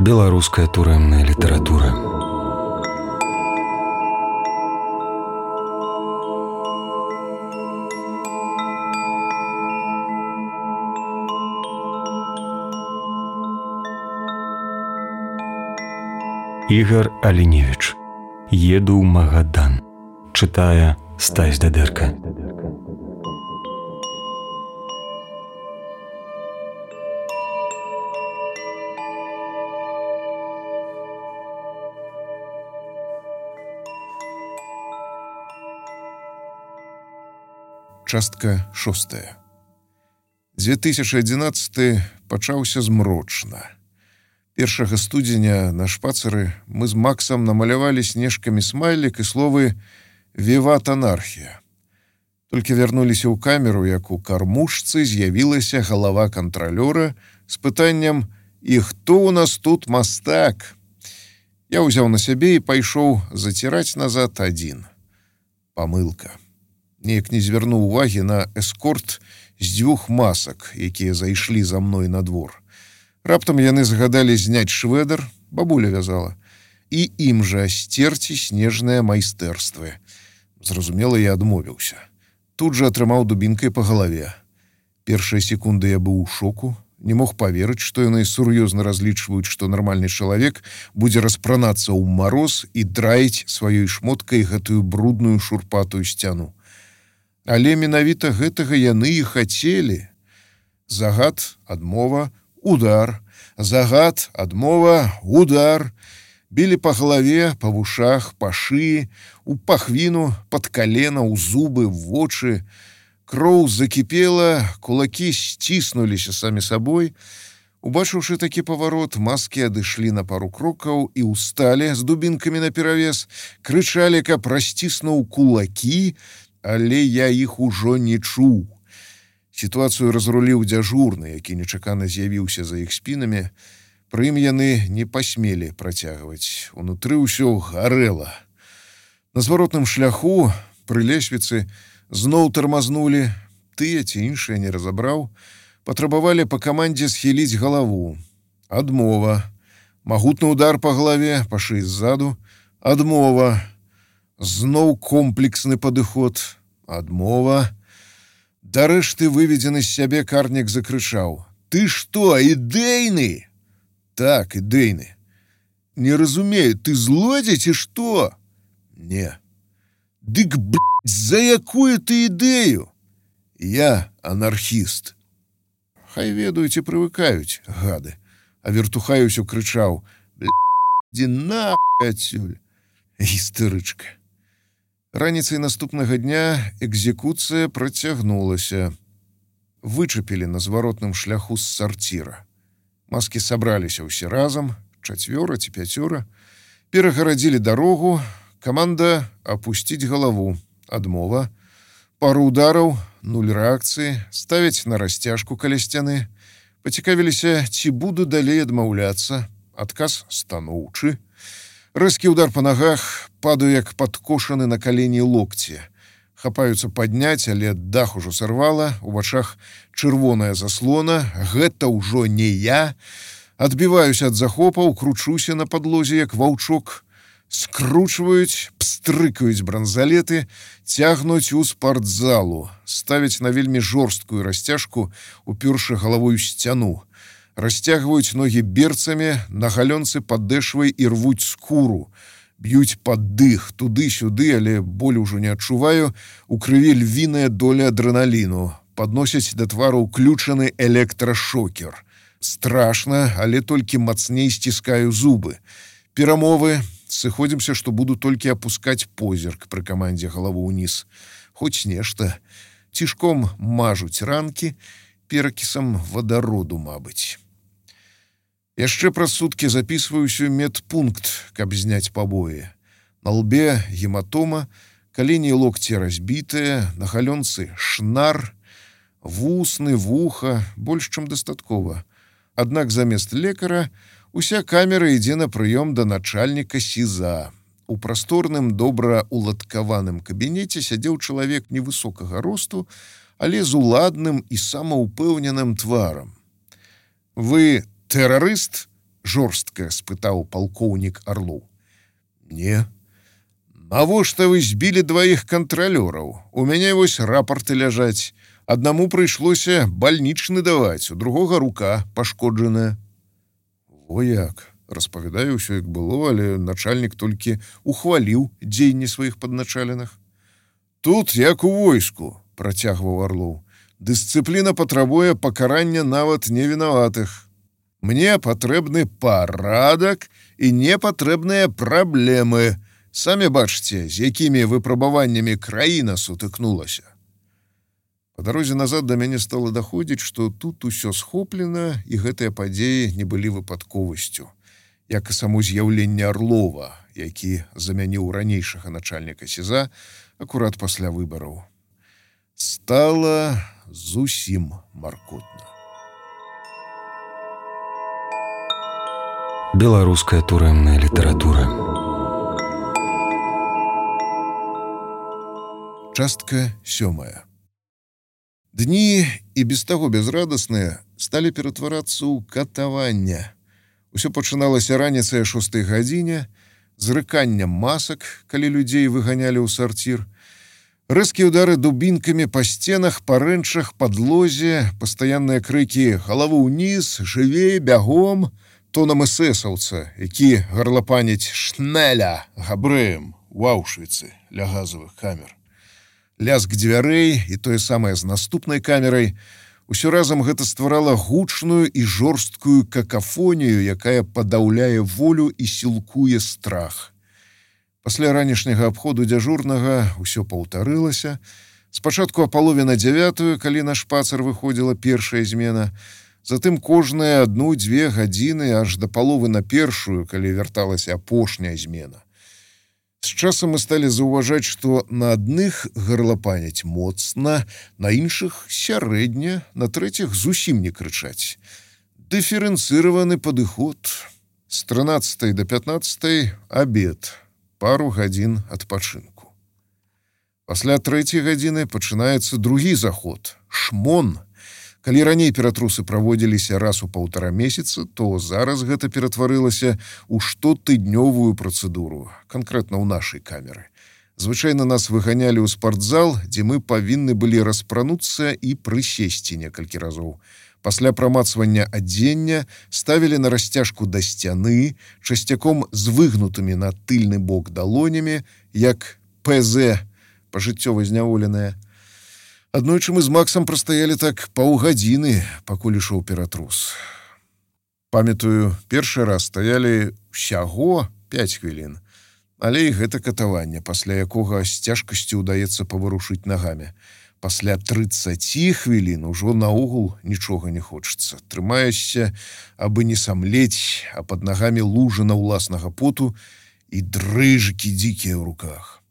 Беларуская турэмная літаратура. Ігар Аліневіч. Еду ў Магадан. Чытае Стась Дадэрка. Частка 6. 2011 пачаўся змрочна. 1 студзеня на шпацары мы з Максам намалявалі снежкамі смайлік і словы «Віват анархія». Толькі вярнуліся ў камеру, як у кармушцы з'явілася галава кантралёра з пытаннем «І хто ў нас тут мастак?». Я ўзяў на сябе і пайшоў заціраць назад адзін. Памылка. Неяк не звярнуў увагі на эскорт з 2 масак, якія зайшлі за мной на двор. Раптам яны загадалі зняць швэдар, бабуля вязала, і ім жа сцерці снежныя майстэрствы. Зразумела, я адмовіўся. Тут жа атрымаў дубінкай па галаве. Першыя секунды я быў у шоку, не мог паверыць, што яны сур'ёзна разлічваюць, што нармальны чалавек будзе распранацца ў мароз і драіць сваёй шмоткай гэтую брудную шурпатую сцяну. Але менавіта гэтага яны і хацелі. Загад, адмова, удар. Загад, адмова, удар. Білі па галаве, па вушах, па шыі, у пахвіну, пад калена, у зубы, в вочы. Кроў закіпела, кулакі сціснуліся самі сабой. Убачыўшы такі паварот, маскі адышлі на пару крокаў і ўсталі з дубінкамі наперавес, крычалі, каб расціснуў кулакі, але я іх ужо не чуў. Сітуацыю разруліў дзяжурны, які нечакана з'явіўся за іх спінамі. Пры ім яны не пасмелі працягваць. Унутры ўсё гарэла. На зваротным шляху, пры лесвіцы, зноў тармазнулі. Тыя ці іншыя не разабраў. Патрабавалі па камандзе схіліць галаву. Адмова. Магутны удар па галаве, па шыі ззаду. Адмова. Зноў комплексны падыход. Адмова. Дарэшты выведзены з сябе карнік закрычаў. «Ты што, ідэйны?» «Так, ідэйны». «Не разумею, ты злодзей ці што?» «Не». «Дык, блядь, за якую ты ідэю?» «Я анархіст». Хай ведаюць і прывыкаюць, гады. А вертухай усё крычаў. «Блядь, ідзі нахуй адсюль». Істэрычка. Раніцай наступнага дня экзекуцыя працягнулася. Вычапілі на зваротным шляху з сарціра. Маскі сабраліся ўсе разам, 4 ці 5. Перагарадзілі дарогу. Каманда «Апусціць галаву». Адмова. Пару удараў, 0 рэакцыі, ставяць на расцяжку каля сцяны. Пацікавіліся, ці буду далей адмаўляцца. Адказ станоўчы. Рэзкі удар па нагах, падаю як падкошаны на калені локці. Хапаюцца падняць, але дах ужо сарвала, у вачах чырвоная заслона, гэта ўжо не я. Адбіваюся ад захопаў, кручуся на падлозе, як ваўчок. Скручваюць, пстрыкаюць бранзалеты, цягнуць у спартзалу, ставяць на вельмі жорсткую расцяжку, упершы галавой сцяну. Расцягваюць ногі берцамі, на галёнцы падэшвай і рвуць скуру. Б'юць пад дых, туды-сюды, але боль ужо не адчуваю. У крыві львіная доля адрэналіну. Падносяць да твару ўключаны электрашокер. Страшна, але толькі мацней сціскаю зубы. Перамовы. Сыходзімся, што буду толькі апускаць позірк пры камандзе галаву ўніз. Хоць нешта. Цішком мажуць ранкі, перакісам вадароду, мабыць. Яшчэ праз суткі запісваюся ў медпункт, каб зняць пабоі. На лбе гематома, калені і локці разбітыя, на галёнцы шнар, вусны, вуха, больш чым дастаткова. Аднак замест лекара уся камера ідзе на прыём да начальніка СІЗА. У прасторным, добра уладкаваным кабінеце сядзеў чалавек невысокага росту, але з уладным і самаўпэўненым тварам. «Вы тэрарыст?» жорстка спытаў палкоўнік Арлоў. Не. Навошта вы збілі дваіх кантралёраў? У мяне вось рапорты ляжаць. Аднаму прыйшлося бальнічны даваць, у другога рука пашкоджаная. Во як, распавядаю ўсё як было, але начальнік толькі ухваліў дзеянні сваіх падначаленых. Тут як у войску, працягваў Арлоў. Дысцыпліна патрабуе пакарання нават невінаватых. Мне патрэбны парадак і непатрэбныя праблемы. Самі бачыце, з якімі выпрабаваннямі краіна сутыкнулася. Па дарозе назад да мяне стала даходзіць, што тут усё схоплена, і гэтыя падзеі не былі выпадковасцю, як і само з'яўленне Арлова, які замяніў ранейшага начальніка СІЗА акурат пасля выбараў. Стала зусім маркотна. Беларуская турэмная літаратура. Частка 7. Дні і без таго безрадасныя сталі ператварацца ў катаванне. Усё пачыналася раніцай 6 гадзіне, з рыканнем масак, калі людзей выганялі ў сарцір, рэзкія ўдары дубінкамі па сценах, па рэнчах, падлозе, пастаянныя крыкі «Галаву ўніз», «Жывей», «Бягом», тонам эсэсаўца, які гарлапаніць «Шнеля» габрэем у Аўшвіцы ля газавых камер. Лязг дзвярэй і тое самае з наступнай камерай. Усё разам гэта стварала гучную і жорсткую какафонію, якая падаўляе волю і сілкуе страх. Пасля ранішняга абходу дзяжурнага ўсё паўтарылася. Спачатку о 8:30, калі на шпацыр выходзіла першая змена, затым кожныя 1-2 гадзіны аж да паловы на першую, калі вярталася апошняя змена. З часам мы сталі заўважаць, што на адных гарлапаняць моцна, на іншых сярэдня, на трэціх зусім не крычаць. Дыферэнцыраваны падыход. З 13 до 15 абед, пару гадзін адпачынку. Пасля 3 гадзіны пачынаецца другі заход – шмон. Калі раней ператрусы праводзіліся раз у 1,5 месяца, то зараз гэта ператварылася ў штотыднёвую працэдуру, канкрэтна ў нашай камеры. Звычайна нас выганялі ў спартзал, дзе мы павінны былі распрануцца і прысесці некалькі разоў. Пасля прамацвання адзення ставілі на расцяжку да сцяны, часцяком з выгнутымі на тыльны бок далонямі, як ПЗ, пажыццёва зняволеная. Аднойчы мы з Максам прастаялі так паўгадзіны, пакуль ішоў ператрус. Памятаю, першы раз стаялі ўсяго 5 хвілін, але і гэта катаванне, пасля якога з цяжкасцю ўдаецца паварушыць нагамі. Пасля 30 хвілін ужо наогул нічога не хочацца. Трымаешся, абы не самлець, а пад нагамі лужына ўласнага поту і дрыжыкі дзікія ў руках.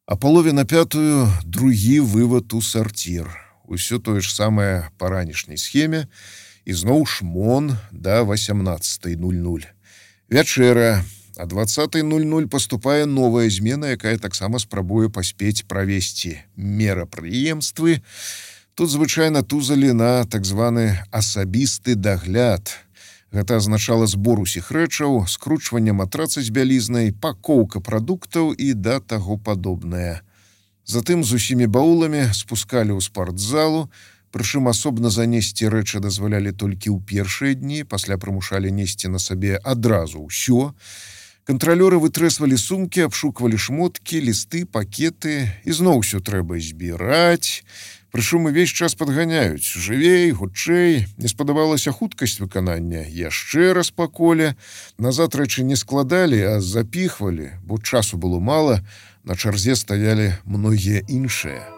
А 4:30 другі вывад у сарцір. Усё тое ж самае па ранішняй схеме, і зноў шмон да 18:00. Вячэра, а 20:00 паступае новая змена, якая таксама спрабуе паспець правесці мерапрыемствы. Тут звычайна тузалі на так званы асабісты дагляд. Гэта азначала збор усіх рэчаў, скручванне матраца з бялізнай, пакоўка прадуктаў і да таго падобнае. Затым з усімі бауламі спускалі ў спартзалу, прычым асобна занесці рэчы дазвалялі толькі ў першыя дні, пасля прымушалі несці на сабе адразу ўсё. Кантралёры вытрэсвалі сумкі, абшуквалі шмоткі, лісты, пакеты, і зноў усё трэба збіраць. Прычым увесь час падганяюць. Жывей, хутчэй. Не спадабалася хуткасць выканання. Яшчэ раз па коле. Назад рэчы не складалі, а запіхвалі, бо часу было мала. На чарзе стаялі многія іншыя.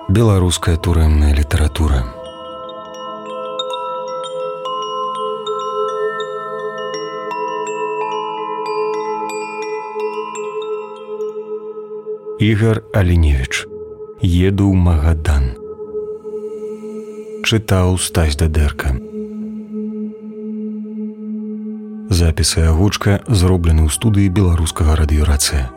Беларуская турэмная літаратура. Ігар Аліневіч. Еду ў Магадан. Чытаў Стась Дадэрка. Запіс і агучка зроблены ў студыі беларускага радыёрацыя.